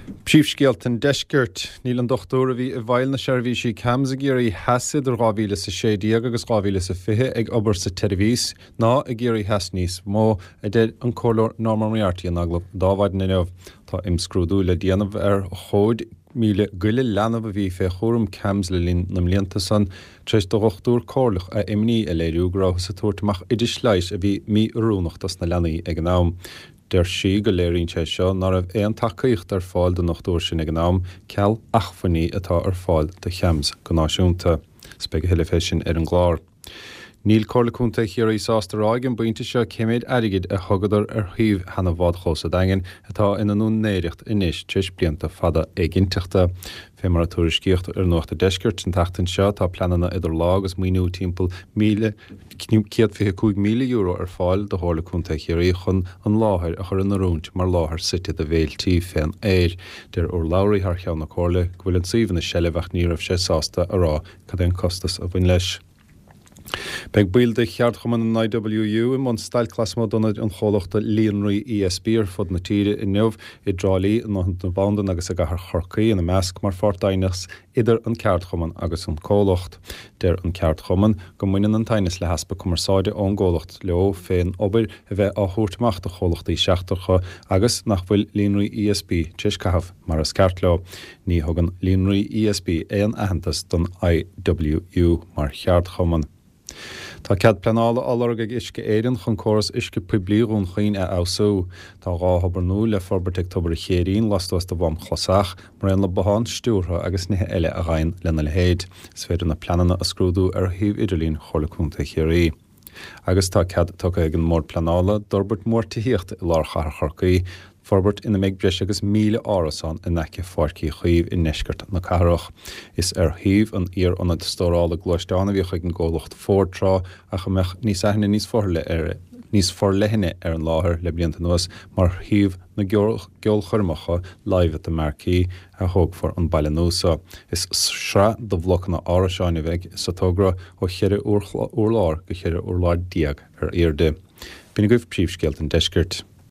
Príomhscéalta an Deiscirt. Níl an dochtúir a bhí i bhfeighil na seirbhísí CAMHS i gCiarraí Theas idir 2016 agus 2020 ag obair sa tseirbhís ná i gCiarraí Theas níos mó, a deir an Comhairleoir Norma Moriarty in agallamh d'Adhmhaidin inniu. Tá imscrúdú le déanamh ar chomhaid 1,000 goile leanbh a bhí fé chúram CAMHS le linn na mblianta san, tar éis do dhochtúir comhairleach a imní a léiriú go rabhthas ag tabhairt amach oidis leighis a bhí mí-oiriúnach dos na leanaí ag an am. Deir sí go léiríonn sé seo ná raibh aon tacaíocht ar fáil don ndochtúir sin ag an am, ceal achmhainní atá ar fáil do CHAMHS go náisiúnta. 'S beidh a thuilleadh fé sin ar an gclár. Níl Comhairle Contae Chiarraí sásta a rá ag an bpointe seo cé méid airgid a thugadar ar shuíomh sheana bhádchlós a' Daingin atá ina n-úinéireacht anois tar éis blianta fada éiginnteachta. Fé mar a tuairiscíodh ar Nuacht a' Deiscirt an tseachtain seo tá pleananna idir lámha agus maoiniú timpeall €125,000 ar fáil do Chomhairle Contae Chiarraí chun an láthair a chur in oiriúint mar láthair suite do bhféiltí fén aer. Deir urlabhraí thar cheann na Comhairle go bhfuil an suíomh ina seilbh ach ní raibh sé sásta a rá cad é an costas a bhain leis. Beidh baill de cheardchumann an IWU i mbun stailc lasmuigh d'ionaid an chomhlachta líonraí ESB ar fud na tíre inniu, i dTrá Lí, i nDún na Bandan agus i gcathair Chorcaí ina measc, mar pháirt d'aighneas idir an ceardchumann agus an comhlacht. Deir an ceardchumann go mbaineann an t-aighneas le heaspa cumarsáide ón gcomhlacht leo fén obair a bheith á thabhairt amach do chomhlachtaí seachtracha agus nach bhfuil líonraí ESB tar éis caitheamh mar is ceart leo. Ní thugann Líonraí ESB aon aitheantas don IWU mar cheardchumann. Tá cead pleanála á lorg ag Uisce Éireann chun córas uisce poiblí Dhún Chaoin a fheabhsú. Tá 2 thobar nua le forbairt ag Tobar a' Chéirín lastuas de Mhám Chlosach, mar aon le bothán stiúrtha agus nithe eile a ghabhann lena leithéid. Is féidir na pleananna a scrúdú ar shuíomh idirlín Chomhairle Contae Chiarraí. Agus tá cead tugtha ag an mBord Pleanála d'fhorbairt mhór tithíochta i lár chathair Chorcaí, forbairt ina mbeidh breis agus 1,000 árasán in aice Pháirc Uí Chaoimh i ndeisceart na cathrach. Is ar shuíomh an iar-ionaid stórála gluaisteán a bhíodh ag an gcomhlacht Ford tráth ach a mbeadh níos aithne níos níos forleithne ar an láthair le blianta anuas mar shuíomh na gceolchoirmeacha Live at the Marquee a thógfar an baile nua seo. Is sraith de bhlocanna árasáin a bheidh sa togra ó cheithre urlár go 14 urlár ar airde. B'in agaibh príomhscéalta an deiscirt.